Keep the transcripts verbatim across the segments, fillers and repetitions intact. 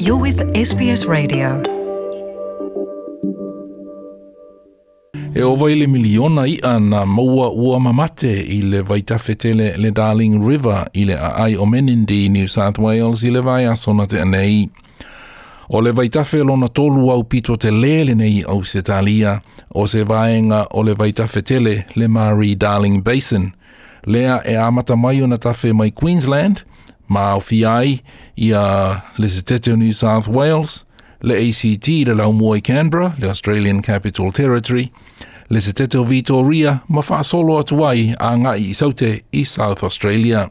You're with S B S Radio. E ova i le miliona ia na maua ua mamate i le vaitafetele le Darling River i le aai o Menindee, New South Wales i le vai asona te anei. O le vaitafe lona tolu au pito te lele nei au se talia, o se vaenga o le vaitafetele le Murray Darling Basin. Lea e amata mai ona tafe mai Queensland, ma au fiai ia le setete o New South Wales, le A C T le laumua i Canberra, le Australian Capital Territory, le setete o Victoria, ma whaasolo atu ai a ngai i saute i South Australia.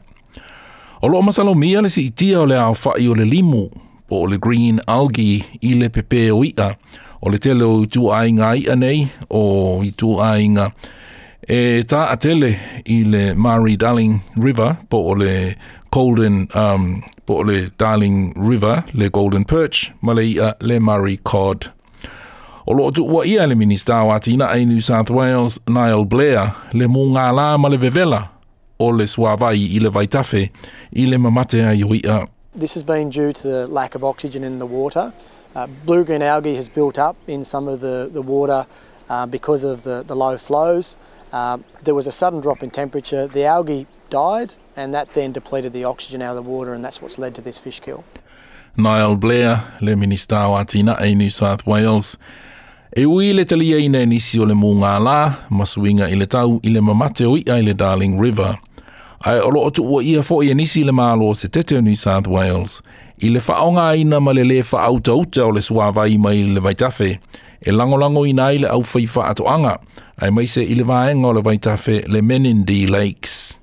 O loo masalomia le si itia o le ao whai o le limu, po o le green algae i le pepe o ia, o le tele o itu ainga ia nei, o itu ainga e tā atele i le Murray Darling River, po o le Golden, um, po o le Darling River, le Golden Perch, ma le ia le Murray Cod. O loo tuua ia le Minista o Atina e New South Wales, Niall Blair, le mō ngā la ma le vevela o le suavai i le vaitafe i le mamate ai o ia. This has been due to the lack of oxygen in the water. Uh, blue-green algae has built up in some of the, the water uh, because of the, the low flows. Uh, there was a sudden drop in temperature, the algae died, and that then depleted the oxygen out of the water, and that's what's led to this fish kill. Niall Blair, le Minista o Atina e New South Wales. E ui le talia ina nisi o le mō ngā la, masuinga i le tau i le mamate o ia i le Darling River. Ai o loo tuua ia fo ia nisi le malo se tete o New South Wales. I le whaonga ina ma le le whaauta uta o le suavai mai le vaitafe. E langolango ina i le au whaiwha atoanga. Ai maise i le vaenga o le vaitafe le Menindee Lakes.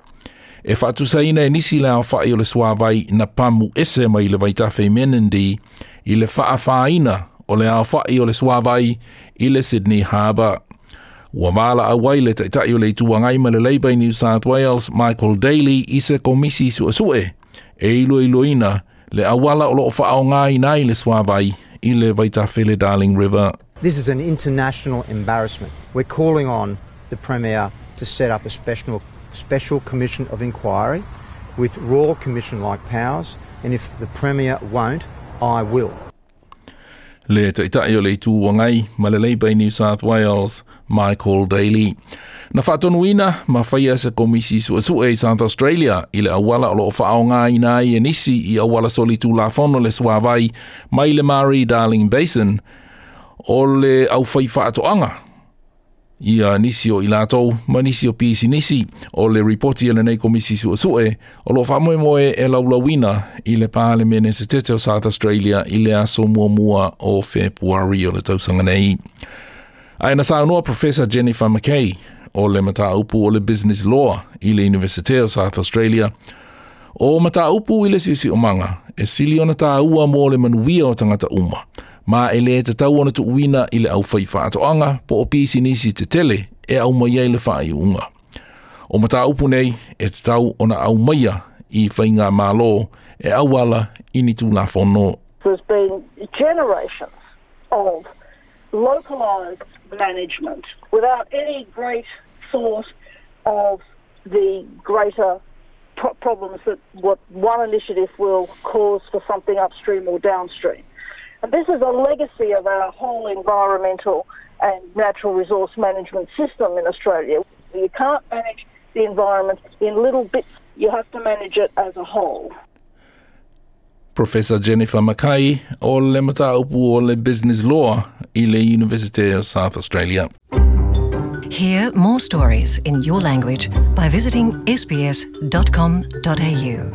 E whaatusaina e nisi le au whai o le suavai na pamu ese mai le vaitafe Menindee i le whaawhaina o le au whai o le suavai i le Sydney Harbour. Ua mala awai le taitai o le ituangai ma le Labour New South Wales, Michael Daly, i se komisi suasue. E ilo iloina le awala o loo whaonga ina i le suavai i le vaitafe le Darling River. This is an international embarrassment. We're calling on the Premier to set up a special, special commission of inquiry with Royal Commission-like powers, and if the Premier won't, I will. Le taitai o le ituangai ma le Labour New South Wales, Michael Daly. Na whaatonuina ma whaia se komisi suasue i South Australia i le awala o loo whaonga ina i e nisi i awala soli tūlafono le suavai mai le Murray Darling Basin o le au whai whaatoanga. Ia nisi o ilatou ma nisi o pisi nisi o le ripoti e lenei komisi suasue o loo whaamoemoe e laulauina i le Parlemene se tete o South Australia i le aso muamua o February o le tausanga nei. Ai na saunoa Professor Jennifer Mackay o le mataupu o le Business Law i le University o South Australia o mataupu i le sisi o manga e sili ona tāua mō le manuia o tangata uma. Ma e le te tau ona tuuina i le au whai whaatoanga po o pisi nisi te tele e au mai ai le whai unga. O mataupu nei e te tau ona au maia i whainga malo e awala i ni tūlafono. There's been generations of localised management without any great thought of the greater pro- problems that what one initiative will cause for something upstream or downstream. And this is a legacy of our whole environmental and natural resource management system in Australia. You can't manage the environment in little bits. You have to manage it as a whole. Professor Jennifer Mackay o le mataupu o le Business Law i le University of South Australia. Hear more stories in your language by visiting s b s dot com dot a u.